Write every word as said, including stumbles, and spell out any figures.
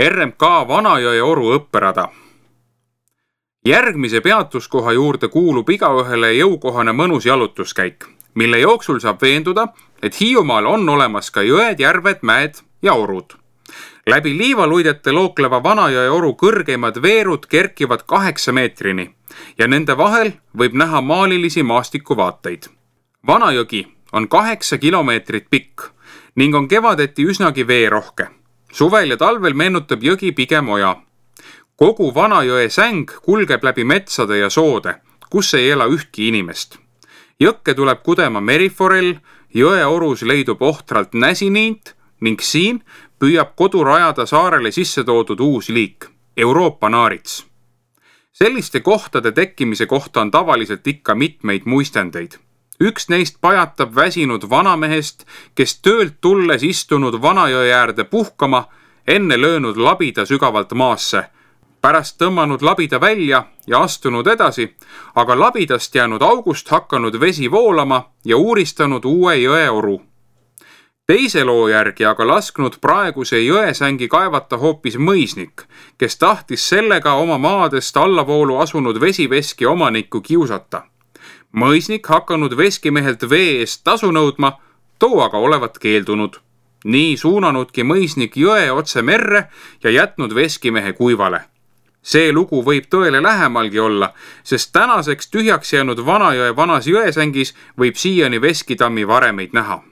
R M K Vanajõe oru õpperada. Järgmise peatuskoha juurde kuulub igaühele jõukohane mõnus jalutuskäik, mille jooksul saab veenduda, et Hiiumaal on olemas ka jõed, järved, mäed ja orud. Läbi liivaluidete lookleva Vanajõe oru kõrgeimad veerud kerkivad kaheksa meetrini ja nende vahel võib näha maalilisi maastikuvaateid. Vanajõgi on kaheksa kilomeetrit pikk ning on kevadeti üsnagi veerohke. Suvel ja talvel meenutab jõgi pigem oja. Kogu Vanajõe säng kulgeb läbi metsade ja soode, kus ei ela ühtki inimest. Jõkke tuleb kudema meriforell, jõe orus leidub ohtralt näsiniint ning siin püüab kodu rajada saarele sisse toodud uus liik, Euroopa naarits. Selliste kohtade tekkimise kohta on tavaliselt ikka mitmeid muistendeid. Üks neist pajatab väsinud vanamehest, kes töölt tulles istunud Vanajõe äärde puhkama, enne löönud labida sügavalt maasse, pärast tõmmanud labida välja ja astunud edasi, aga labidast jäänud august hakanud vesi voolama ja uuristanud uue jõe oru. Teise loo järgi aga lasknud praeguse jõesängi kaevata hoopis mõisnik, kes tahtis sellega oma maadest allavoolu asunud vesiveski omanikku kiusata. Mõisnik hakanud veskimehelt vee eest tasu nõudma, too aga olevat keeldunud. Nii suunanudki mõisnik jõe otse merre ja jätnud veskimehe kuivale. See lugu võib tõele lähemalgi olla, sest tänaseks tühjaks jäänud Vanajõe vanas jõesängis võib siiani veskitammi varemeid näha.